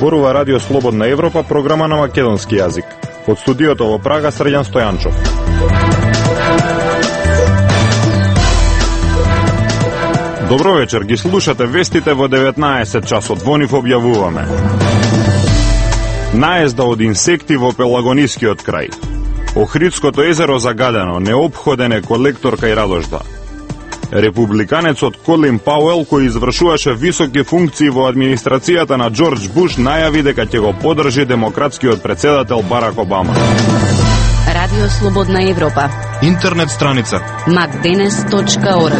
Зборува Радио Слободна Европа, програма на македонски јазик. Од студиото во Прага, Срđan Стојанчов. Добро вечер, ги слушате вестите во 19 часот. Во нив објавуваме: наезда од инсекти во Пелагонискиот крај. Охридското езеро загадено, неопходен е колектор кај Радожда. Републиканецот Колин Пауел, кој извршуваше високи функции во администрацијата на Џорџ Буш, најави дека ќе го поддржи демократскиот председател Барак Обама. Радио Слободна Европа. Интернет страница macdenes.org.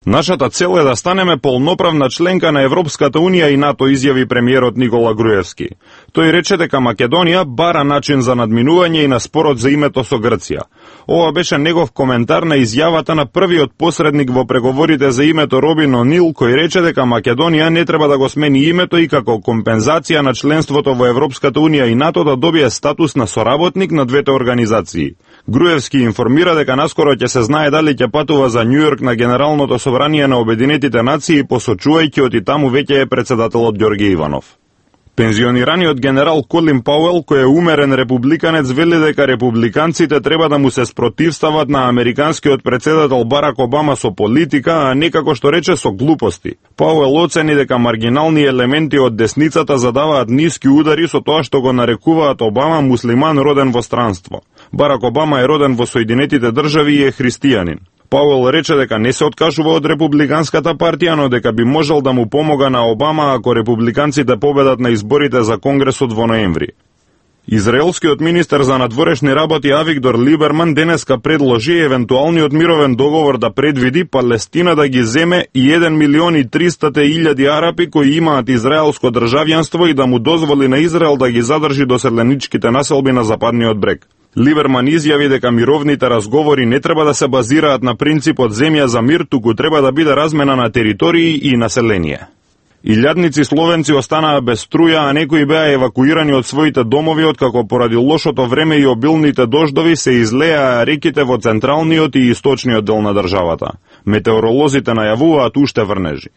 Нашата цел е да станеме полноправна членка на Европската Унија и НАТО, изјави премиерот Никола Груевски. Тој рече дека Македонија бара начин за надминување и на спорот за името со Грција. Ова беше негов коментар на изјавата на првиот посредник во преговорите за името Робин О'Нил, кој рече дека Македонија не треба да го смени името и како компензација на членството во Европската Унија и НАТО да добие статус на соработник на двете организации. Груевски информира дека наскоро ќе се знае дали ќе патува за Њујорк на Генералното собрание на Обединетите нации, посочувајќи од и таму веќе е председателот Ѓорѓе Иванов. Пензионираниот генерал Колин Пауел, кој е умерен републиканец, вели дека републиканците треба да му се спротивстават на американскиот председател Барак Обама со политика, а не како што рече со глупости. Пауел оцени дека маргинални елементи од десницата задаваат ниски удари со тоа што го нарекуваат Обама муслиман роден во странство. Барак Обама е роден во Соединетите држави и е христијанин. Пауел рече дека не се откажува од републиканската партија, но дека би можел да му помога на Обама ако републиканците победат на изборите за Конгресот во ноември. Израелскиот министер за надворешни работи Авигдор Либерман денеска предложи евентуалниот мировен договор да предвиди Палестина да ги земе и 1.300.000 арапи кои имаат израелско државјанство и да му дозволи на Израел да ги задржи доселеничките населби на западниот брег. Либерман изјави дека мировните разговори не треба да се базираат на принципот земја за мир, туку треба да биде размена на територии и население. Илјадници словенци останаа без струја, а некои беа евакуирани од своите домови откако поради лошото време и обилните дождови се излеаа реките во централниот и источниот дел на државата. Метеоролозите најавуваат уште врнежи.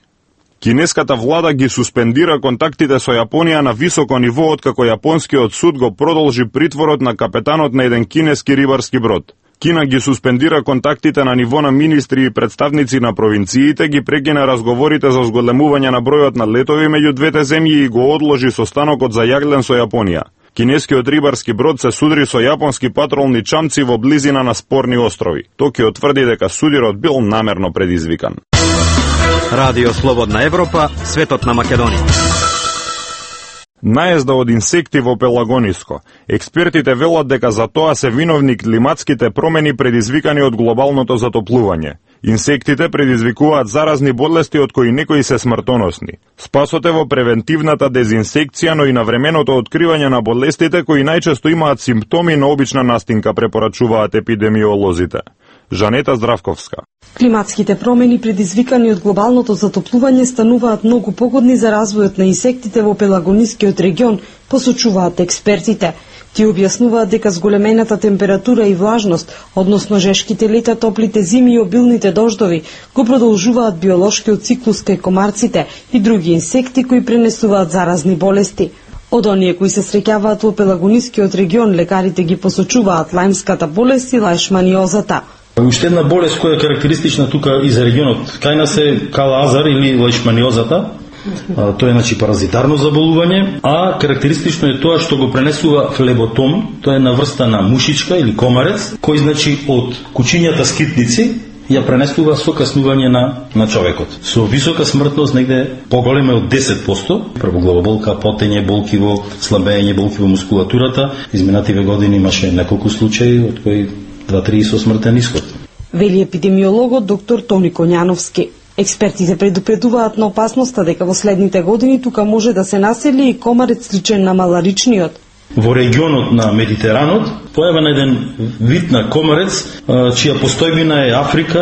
Кинеската влада ги суспендира контактите со Јапонија на високо ниво откако јапонскиот суд го продолжи притворот на капетанот на еден кинески рибарски брод. Кина ги суспендира контактите на ниво на министри и представници на провинциите, ги прекина разговорите за зголемување на бројот на летови меѓу двете земји и го одложи состанокот за јаглен со Јапонија. Кинескиот рибарски брод се судри со јапонски патролни чамци во близина на спорни острови. Токио тврди дека судирот бил намерно предизвикан. Радио Слободна Европа, светот на Македонија. Наезда од инсекти во Пелагониско. Експертите велат дека за тоа се виновни климатските промени предизвикани од глобалното затоплување. Инсектите предизвикуваат заразни болести од кои некои се смртоносни. Спасот е во превентивната дезинсекција, но и на временото откривање на болестите кои најчесто имаат симптоми на обична настинка, препорачуваат епидемиолозите. Жанета Здравковска. Климатските промени предизвикани од глобалното затоплување стануваат многу погодни за развојот на инсектите во Пелагонискиот регион, посочуваат експертите. Ти објаснуваат дека зголемената температура и влажност, односно жешките лета, топлите зими и обилните дождови, го продолжуваат биолошкиот циклус кај комарците и други инсекти кои пренесуваат заразни болести. Од оние кои се среќаваат во Пелагонискиот регион, лекарите ги посочуваат лајмската болест и лајшманиозата. Уште една болест која е карактеристична тука и за регионот кај нас е кала-азар или лајшманиозата. Тоа е паразитарно заболување, а карактеристично е тоа што го пренесува флеботом, тоа е на врста на мушичка или комарец, кој од кучињата скитници ја пренесува со каснување на човекот. Со висока смртност, негде поголема од 10%, првоглавоболка, потење, болки во слабење, болки во мускулатурата. Изминативе години имаше неколку случаи од кои 2-3 со смртен исход. Вели епидемиологот доктор Тони Коњановски. Експертите предупредуваат на опасноста дека во следните години тука може да се насели и комарец сличен на маларичниот. во регионот на Медитеранот, појавен еден вид на комарец, чија постојбина е Африка,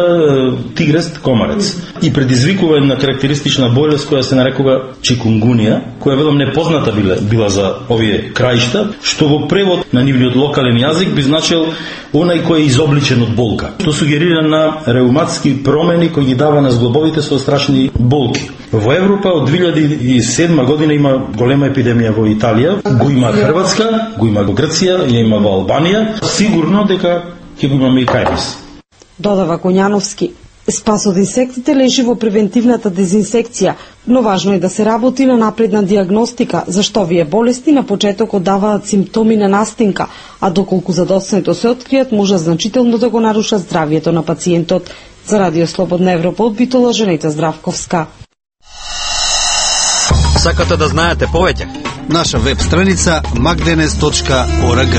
тигрест комарец. И предизвикува една карактеристична болест која се нарекува чикунгунија, која велам непозната била за овие краишта, што во превод на нивниот локален јазик би значил онај кој е изобличен од болка, што сугерира на реуматски промени кои ги дава на зглобовите со страшни болки. Во Европа од 2007 година има голема епидемија во Италија, го има Хрватска, го има во Грција, ја има во Албанија, сигурно дека ќе го имаме и кај нас. Додава Коњановски. Спас од инсектите лежи во превентивната дезинсекција, но важно е да се работи на напредна диагностика, зашто овие болести на почетокот даваат симптоми на настинка, а доколку задоцнето се откријат, може значително да го нарушат здравието на пациентот. За Радио Слободна Европа од Битола, Женета Здравковска. Сакате да знаете повеќе? Наша веб страница magdenes.org.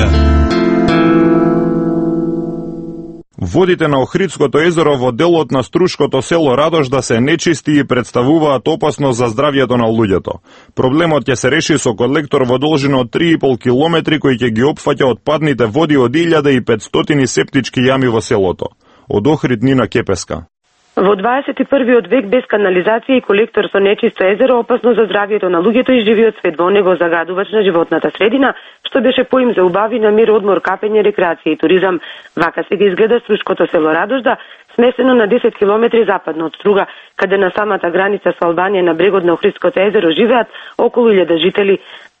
Водите на Охридското езеро во делот на Струшкото село Радожда се нечисти и представуваат опасност за здравието на луѓето. Проблемот ќе се реши со колектор во должина од 3,5 километри кој ќе ги опфаќа отпадните води од 1500 септички јами во селото. Од Охрид Нина Кепеска. Во 21. век без канализација и колектор со нечисто езеро опасно за здравието на луѓето и живиот свет во него загадувач на животната средина, што беше поим за убави на мир, одмор, капење, рекреација и туризам. Вака сега изгледа Струшкото село Радожда, сместено на 10 километри западно од Струга, каде на самата граница со Албанија на брегот на Охридското езеро живеат околу 1000 жители.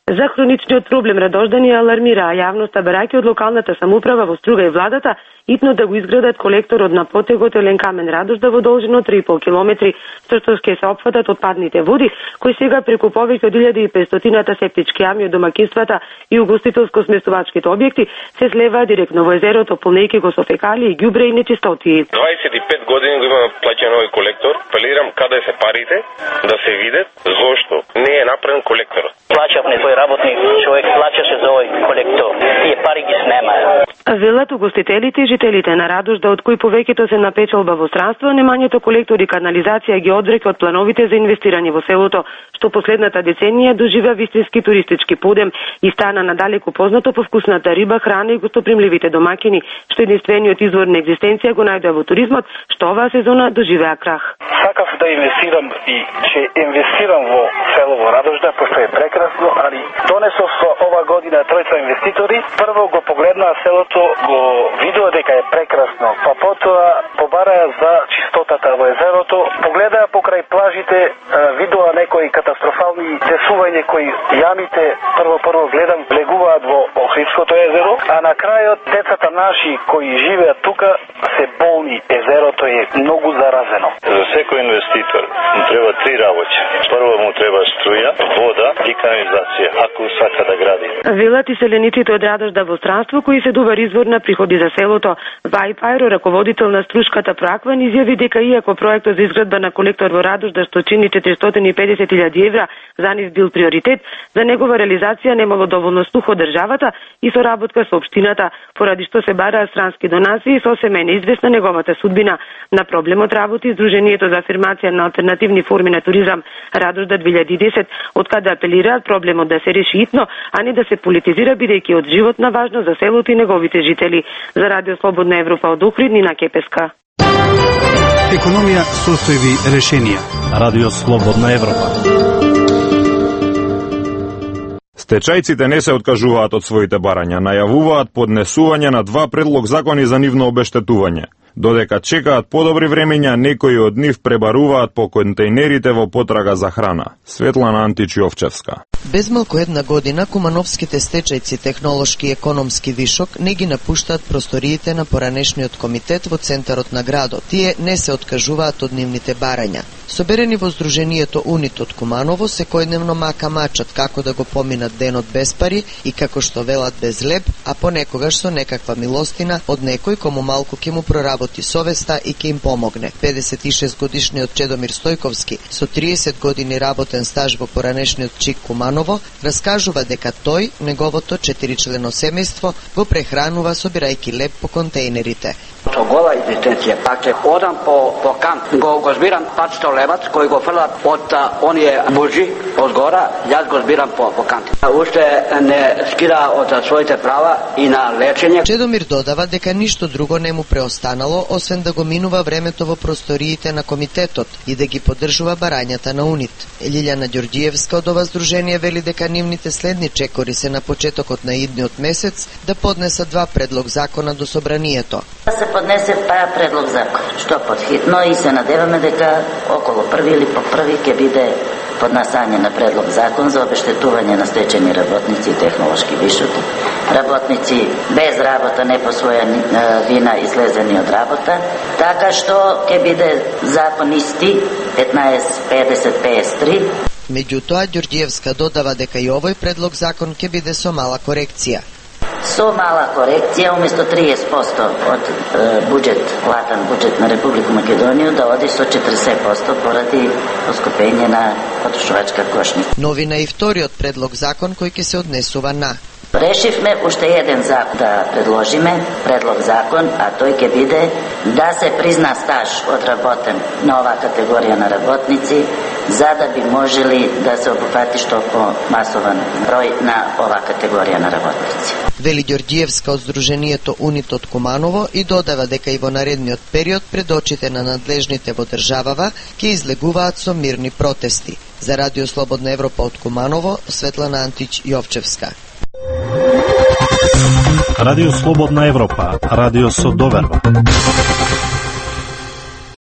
За хроничниот проблем Радождани алармираа јавноста, барајќи од локалната самоуправа во Струга и владата итно да го изградат колекторот на потегот Елен Камен Радожда во должина од 3,5 километри, со што ќе се опфатат отпадните води, кои сега преку повеќе од 1500 септички јами од домаќинствата и угостителско-сместувачките објекти се слеваат директно во езерото, полнејќи го со фекалии, ѓубре и нечистоти. 25 години го имаме плаќан овој колектор. Апелирам каде се парите да се видат зошто не е направен колекторот. Плаќав некој работник, човек плаќаше за овој колектор. Тие пари ги снемаат. Велат угостителите и жителите на Радожда, од кои повеќето се на печалба во странство, немањето колектори и канализација ги одвреќа од плановите за инвестирање во селото, што последната деценија доживеа вистински туристички подем и стана надалеку познато по вкусната риба, храна и гостопримливите домаќини, што единствениот извор на екзистенција го најдоа во туризмот, што оваа сезона доживеа крах. Сакав да инвестирам и ќе инвестирам во село Радожда, пошто е прекрасно, али донесов ова година тројца инвеститори. Прво го погледнаа селото, го видоа дека е прекрасно, па потоа побараа за чистотата во езерото, погледаа покрај плажите, видоа некои катастрофални десување кои јамите прво гледам влегуваат во Охридското езеро, а на крајот децата наши кои живеат тука се болни, езерото е многу заразено. За секој инвеститор му треба 3 работи. Прво му треба струја, вода и канализација, ако сака да гради. Велат и селениците од Радожда во странство, кои се добар извор на приходи за селото. Вај Пајро, раководител на Струшката Проакван, изјави дека иако проектот за изградба на колектор во Радожда, што чини 450.000 евра, за нив бил приоритет, за негова реализација немало доволно слух од државата и соработка со општината, поради што се бараа странски донации и сосема е неизвестна неговата судбина. На проблемот работи Сдруженијето за афирмација на алтернативни форми на туризам Радожда 2010, откаде апелираат проблемот да се реши итно, а не да се политизира, бидејќи од животна важност за селото и неговите жители. За Радио Слободна Европа од Охрид, Нина Кепеска. Економија, состојби, решенија. Радио Слободна Европа. Стечајците не се откажуваат од своите барања, најавуваат поднесување на 2 предлог закони за нивно обештетување. Додека чекаат подобри времења, некои од нив пребаруваат по контејнерите во потрага за храна. Светлана Античиовчевска. Без малку една година, кумановските стечајци технолошки и економски вишок не ги напуштаат просториите на поранешниот комитет во центарот на градот. Тие не се откажуваат од нивните барања. Соберени во Сдруженијето Унит од Куманово, секојдневно мака-мачат како да го поминат денот без пари и како што велат без леб, а понекогаш со некаква милостина од некој кому малку ќе му проработи работи совеста и ќе им помогне. 56 годишниот Чедомир Стојковски со 30 години работен стаж во поранешниот ЧИК Куманово раскажува дека тој, неговото 4-члено семејство го прехранува собирајќи леп по контејнерите. Со гола екзистенција, пак ќе одам по камп, го збирам 500 левац кој го фрлат од оние бужи од гора, јас го збирам по камп. Уште не скира од своите права и на лечење. Чедомир додава дека ништо друго не му преостанало освен да го минува времето во просториите на комитетот и да ги поддржува барањата на УНИТ. Лилјана Ѓорѓиевска од ова здружение вели дека нивните следни чекори се на почетокот на идниот месец да поднесат 2 предлог закона до собранието. Се поднесе предлог закон, што подхитно, и се надеваме дека околу први или по први ќе биде поднасање на предлог закон за обештетување на стечени работници и технолошки вишоки, работници без работа, не по своја вина излезени од работа, така што ќе биде закон исти 1550-53. Меѓутоа, Ѓорѓиевска додава дека и овој предлог закон ќе биде со мала корекција. Со мала корекција, уместо 30% од платен буџет на Република Македонија да оди со 40% поради поскупење на потрошувачка кошница. Новина и вториот предлог закон кој ќе се однесува на Решивме уште еден закон да предложиме, предлог закон, а тој ќе биде да се призна стаж одработен на оваа категорија на работници, за да би можели да се обфати што по-масован број на оваа категорија на работници. Вели Ѓорѓиевска од Здруженијето УНИТ од Куманово и додава дека и во наредниот период пред очите на надлежните во државава ќе излегуваат со мирни протести. За Радио Слободна Европа од Куманово, Светлана Антич Јовчевска. Радио Слободна Европа, радио со доверба.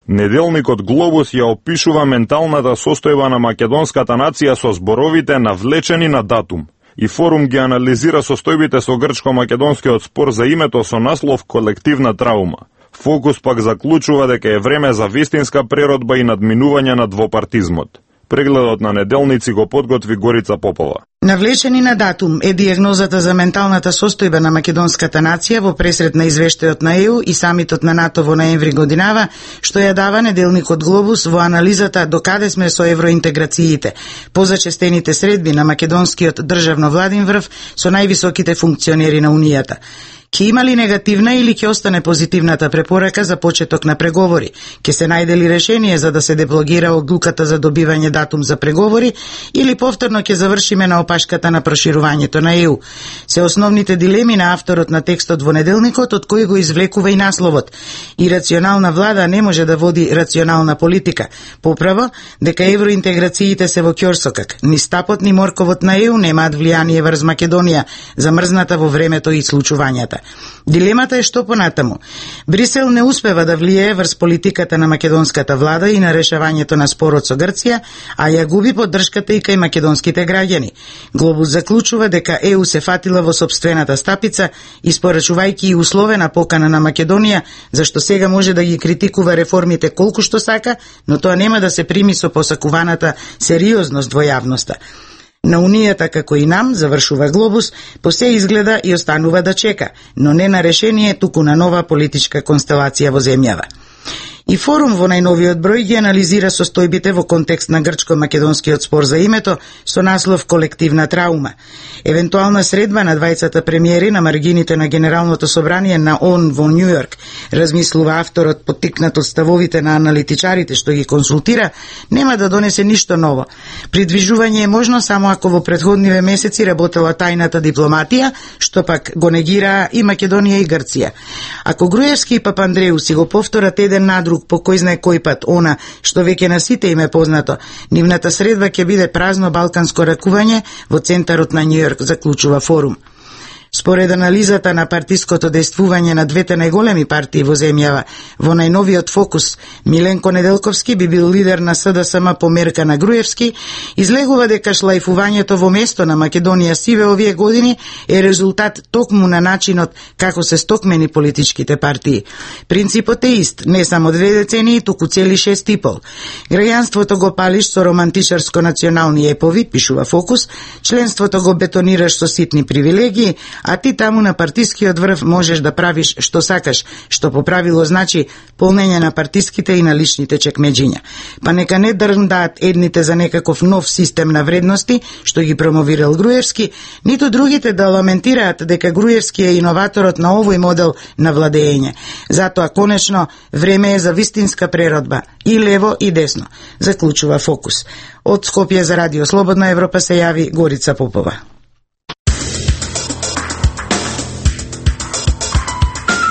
Неделникот Глобус ја опишува менталната состојба на македонската нација со зборовите навлечени на датум. И форум ги анализира состојбите со грчко-македонскиот спор за името со наслов колективна траума. Фокус пак заклучува дека е време за вистинска преродба и надминување на двопартизмот. Прегледот на неделници го подготви Горица Попова. Навлечени на датум е дијагнозата за менталната состојба на македонската нација во пресрет на извештајот на ЕУ и самитот на НАТО во ноември годинава, што ја дава неделникот Глобус во анализата докаде сме со евроинтеграциите, позачестените средби на македонскиот државно владин врв со највисоките функционери на Унијата. Ке има ли негативна или ќе остане позитивната препорака за почеток на преговори? Ке се најде ли решение за да се деблогира одлуката за добивање датум за преговори или повторно ќе завршиме на опашката на проширувањето на ЕУ? Се основните дилеми на авторот на текстот во неделникот, од кој го извлекува и насловот. Ирационална влада не може да води рационална политика. Поправо, дека евроинтеграциите се во ќорсокак. Ни стапот ни морковот на ЕУ немаат влијание врз Македонија, замрзната во времето и случувањата. Дилемата е што понатаму. Брисел не успева да влијае врз политиката на македонската влада и на решавањето на спорот со Грција, а ја губи поддршката и кај македонските граѓани. Глобус заклучува дека ЕУ се фатила во сопствената стапица, испорачувајќи и условена покана на Македонија, зашто сега може да ги критикува реформите колку што сака, но тоа нема да се прими со посакуваната сериозност во јавноста. На Унијата, како и нам, завршува Глобус, по се изгледа и останува да чека, но не на решение, туку на нова политичка констелација во земјава. И форум во најновиот број ги анализира состојбите во контекст на грчко-македонскиот спор за името со наслов колективна траума. Евентуална средба на двајцата премиери на маргините на Генералното собрание на ООН во Њу Јорк, размислува авторот поттикнат од ставовите на аналитичарите што ги консултира, нема да донесе ништо ново. Придвижување е можно само ако во претходниве месеци работела тајната дипломатија, што пак го негираа и Македонија и Грција. Ако Груевски и Папандреу си го повторат еден на друг по кој знае кој пат она што веќе на сите им е познато, нивната средба ќе биде празно балканско ракување во центарот на Њу Јорк, заклучува форум. Според анализата на партиското действување на двете најголеми партии во земјава, во најновиот фокус, Миленко Неделковски би бил лидер на СДСМ по мерка на Груевски, излегува дека шлајфувањето во место на Македонија сиве овие години е резултат токму на начинот како се стокмени политичките партии. Принципот е ист, не само 2 децении, туку цели 6 и пол. Граѓанството го палиш со романтичарско национални епови, пишува фокус, членството го бетонираш со ситни привилегии, а ти таму на партискиот врв можеш да правиш што сакаш, што по правило значи полнење на партиските и на личните чекмеџиња. Па нека не дрндаат едните за некаков нов систем на вредности, што ги промовирал Груевски, ниту другите да ламентираат дека Груевски е иноваторот на овој модел на владење. Затоа, конечно, време е за вистинска преродба, и лево и десно, заклучува Фокус. Од Скопје за Радио Слободна Европа се јави Горица Попова.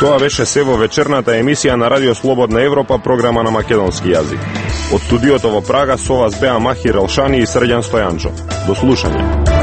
Тоа беше се во вечерната емисија на Радио Слободна Европа, програма на македонски јазик. Од студиото во Прага со вас беа Махир Елшани и Срđan Стојанчо. До слушање.